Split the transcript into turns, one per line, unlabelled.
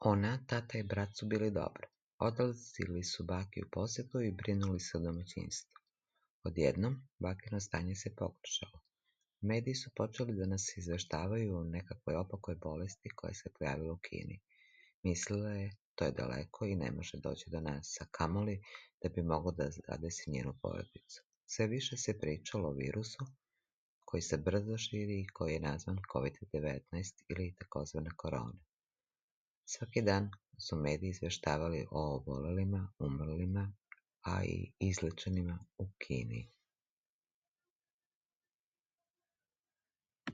Ona, tata i brat su bili dobro. Odlazili su baki u posjetu i brinuli se o domaćinstvu. Odjednom, bakino stanje se pogoršalo. Mediji su počeli da nas izveštavaju o nekakvoj opakoj bolesti koja se pojavila u Kini. Mislila je, to je daleko i ne može doći do nas, a kamoli da bi moglo da zadesi njenu porodicu. Sve više se pričalo o virusu koji se brzo širi i koji je nazvan COVID-19 ili takozvana korona. Svaki dan su mediji izveštavali o obolelima, umrlima, a i izlečenima u Kini.